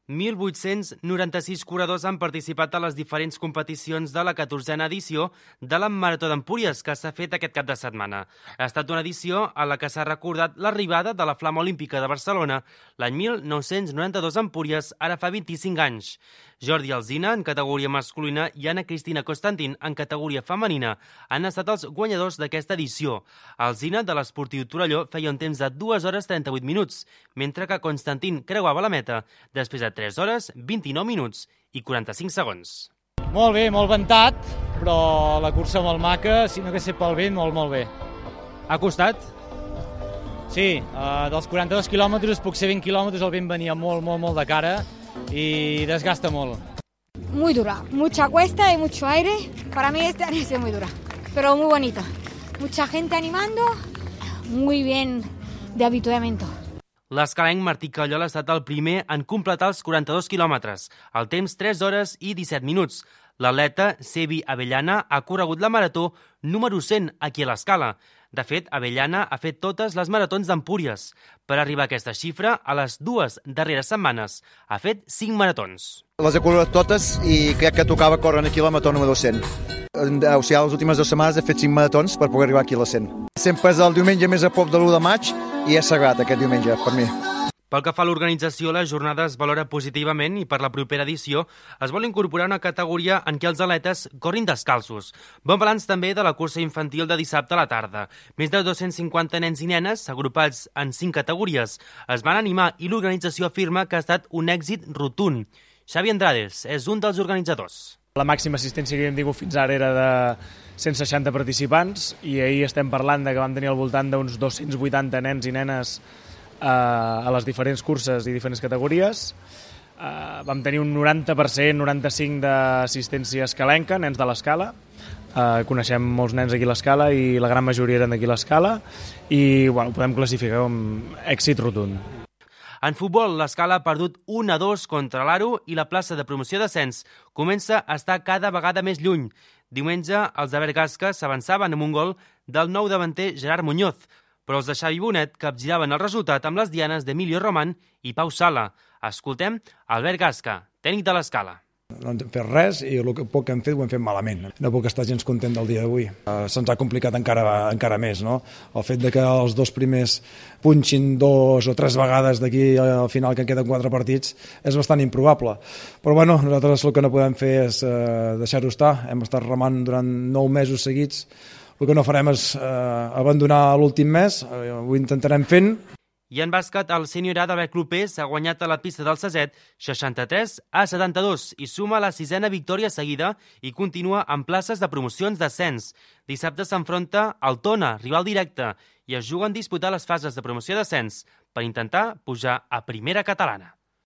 1.896 corredors han participat a les diferents competicions de la 14a edició de la Marató d'Empúries, que s'ha fet aquest cap de setmana. Ha estat una edició a la que s'ha recordat l'arribada de la Flama Olímpica de Barcelona l'any 1992 a Empúries, ara fa 25 anys. Jordi Alsina, en categoria masculina, i Anna Cristina Constantin, en categoria femenina, han estat els guanyadors d'aquesta edició. Alsina, de l'Esportiu Torelló, feia un temps de 2 hores 38 minuts, mentre que Constantin creuava la meta després de 3 hores, 29 minuts i 45 segons. Molt bé, molt ventat, però la cursa molt maca, si no hagués estat pel vent, molt bé. Ha costat? Sí, dels 42 quilòmetres, puc ser 20 quilòmetres, el vent venia molt de cara y desgasta molt. Muy dura, mucha cuesta y mucho aire. Para mí este año es muy dura, pero muy bonita. Mucha gente animando, muy bien de avituallamiento. L'escalenc Martí Callol ha estat el primer en completar els 42 quilòmetres, al temps 3 hores i 17 minuts. L'atleta Sebi Avellana ha corregut la marató número 100 aquí a l'Escala. De fet, Avellana ha fet totes les maratons d'Empúries. Per arribar a aquesta xifra, a les 2 darreres setmanes ha fet 5 maratons. Les he corregut totes i crec que tocava córrer aquí la marató número 100. O sigui, les últimes 2 setmanes he fet 5 maratons per poder arribar aquí a la 100. Sempre és el diumenge més a prop de l'1 de maig i és sagrat aquest diumenge per mi. Pel que fa a l'organització, la jornada es valora positivament i per la propera edició es vol incorporar una categoria en què els atletes corrin descalços. Bon balanç també de la cursa infantil de dissabte a la tarda. Més de 250 nens i nenes, agrupats en 5 categories, es van animar i l'organització afirma que ha estat un èxit rotund. Xavi Andrades és un dels organitzadors. La màxima assistència que hem tingut fins ara era de 160 participants i ahir estem parlant de que vam tenir al voltant d'uns 280 nens i nenes a les diferents curses i diferents categories. Vam tenir un 90%, 95% d'assistència escalenca, nens de l'Escala. Coneixem molts nens aquí a l'Escala i la gran majoria eren d'aquí a l'Escala i podem classificar com èxit rotund. En futbol, l'Escala ha perdut 1-2 contra l'Aro i la plaça de promoció d'ascens comença a estar cada vegada més lluny. Diumenge, els de Bergasca s'avançaven amb un gol del nou davanter Gerard Muñoz, però els de Xavi Bonet capgiraven el resultat amb les dianes d'Emilio Román i Pau Sala. Escoltem Albert Gasca, tècnic de l'Escala. No hem fet res i el poc que hem fet ho hem fet malament. No puc estar gens content del dia d'avui. Se'ns ha complicat encara més, no? El fet de que els dos primers punxin 2 o 3 vegades d'aquí al final que queden 4 partits és bastant improbable. Però bueno, nosaltres el que no podem fer és deixar-ho estar. Hem estat remant durant 9 mesos seguits. El que no farem és abandonar l'últim mes, ho intentarem fent. I en bàsquet, el sènior A d'Albert Clopés ha guanyat a la pista del Saset 63-72 i suma la 6a victòria seguida i continua amb places de promocions d'ascens. Dissabte s'enfronta al Tona, rival directe, i es juguen disputar les fases de promoció d'ascens per intentar pujar a primera catalana.